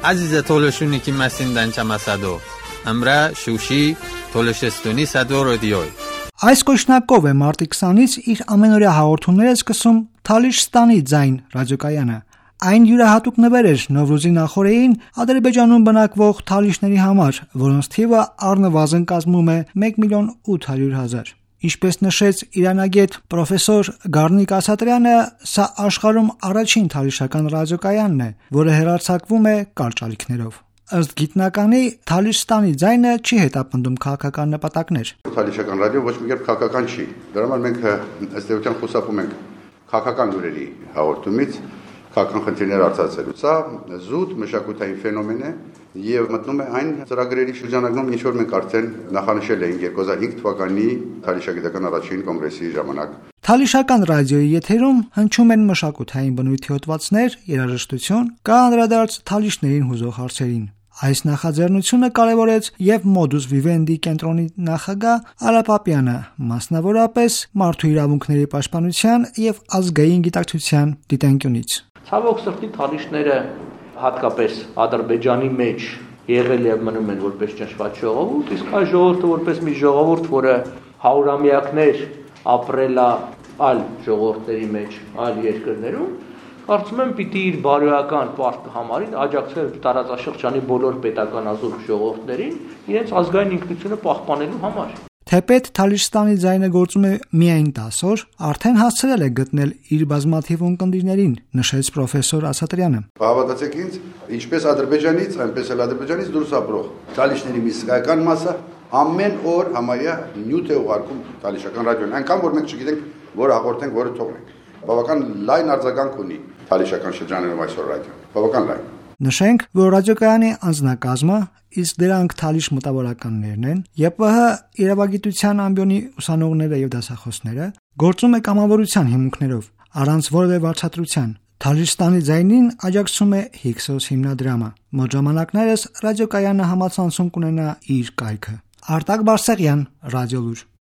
عزیز تولشونی که مسین دنچم اسدو امرا شوشی تولشستونی صدو رادیوی Այս կոչնակով է մարտի 20-ից իր ամենօրյա հաղորդումները սկսում Թալիշստանի ձայն ռադիոկայանը։ Այն յուրահատուկ նվեր էր Նովրուզի նախօրեին Ադրբեջանում բնակվող թալիշների համար, որոնց թիվը առնվազն կազմում է 1,800,000։ Ինչպես նշեց իրանագետ պրոֆեսոր Գառնիկ Ասատրյանը, սա աշխարհում առաջին թալիշական ռադիոկայանն է, որը հեռարձակվում է կարճ ալիքներով։ Ըստ գիտնականի, Թալիշստանի ձայնը չի հետապնդում քաղաքական նպատակներ։ Թալիշական ռադիո ոչ մի կերպ քաղաքական չի։ Դրա համար մենք ըստ էության խուսափում ենք քաղաքական լուրերի հաղորդումից, քաղաքական խնդիրներ արձակելու։ Սա զուտ մշակութային ֆենոմեն է եւ մտնում է այն ծրագրերի շրջանակում, ինչ որ մենք արդեն նախանշել էինք 2005 թվականի Թալիշագիտական առաջին կոնգրեսի ժամանակ։ Թալիշական ռադիոյի եթերում հնչում են մշակութային բնույթի հոդվածներ, երաժշտություն, կա անդրադարձ թալիշներին հուզող հարցերին։ Այս նախաձեռնությունը կարևորեց եւ Modus Vivendi կենտրոնի նախագահ Արա Պապյանը, մասնավորապես մարդու իրավունքների պաշտպանության եւ ազգային գիտակցության դիտանկյունից։ Ցավոք սրտի թալիշները հատկապես Ադրբեջանի մեջ եղել եւ մնում են որպես ճնշված ժողովուրդ, իսկ այս ժողովուրդը որպես մի ժողովուրդ, որը հարյուրամյակներ ապրել է այլ ժողովուրդների մեջ, այլ երկրներում, կարծում եմ պիտի իր բարոյական պարտքը համարին աջակցել տարածաշրջանի բոլոր պետական ազգ ժողովուրդներին իրենց ազգային ինքնությունը պահպանելու համար։ Թեպետ Թալիշստանի ձայնը գործում է միայն 10 օր, արդեն հասցրել է գտնել իր բազմաթիվ ունկնդիրներին, նշեց պրոֆեսոր Ասատրյանը։ Հավատացեք ինձ, ինչպես Ադրբեջանից, այնպես էլ Ադրբեջանից դուրս ապրող թալիշների մի զգայական մասը ամեն օր համարյա նյութ է ուղարկում թալիշական ռադիոն, այնքան որ մենք չգիտենք, որ հաղորդենք, որը թողնենք։ Բավական լայն արձագանք ունի թալիշական շրջաներում այսօր ռադիոն։ Բավական լայն։ Նշենք, որ ռադիոկայանի անձնակազմը, իսկ դրանք թալիշ մտավորականներն են, ԵՊՀ իրավագիտության ամբիոնի ուսանողները եւ դասախոսները, գործում է կամավորության հիմունքներով, առանց որևէ վարձատրության։ Թալիշստանի ձայնին աջակցում է Հիքսոս հիմնադրամը։ Մոտ ժամանակներս ռադիոկայանը համացանցում կունենա իր կայքը։ Արտակ Բարսեղյան, Ռադիոլուր։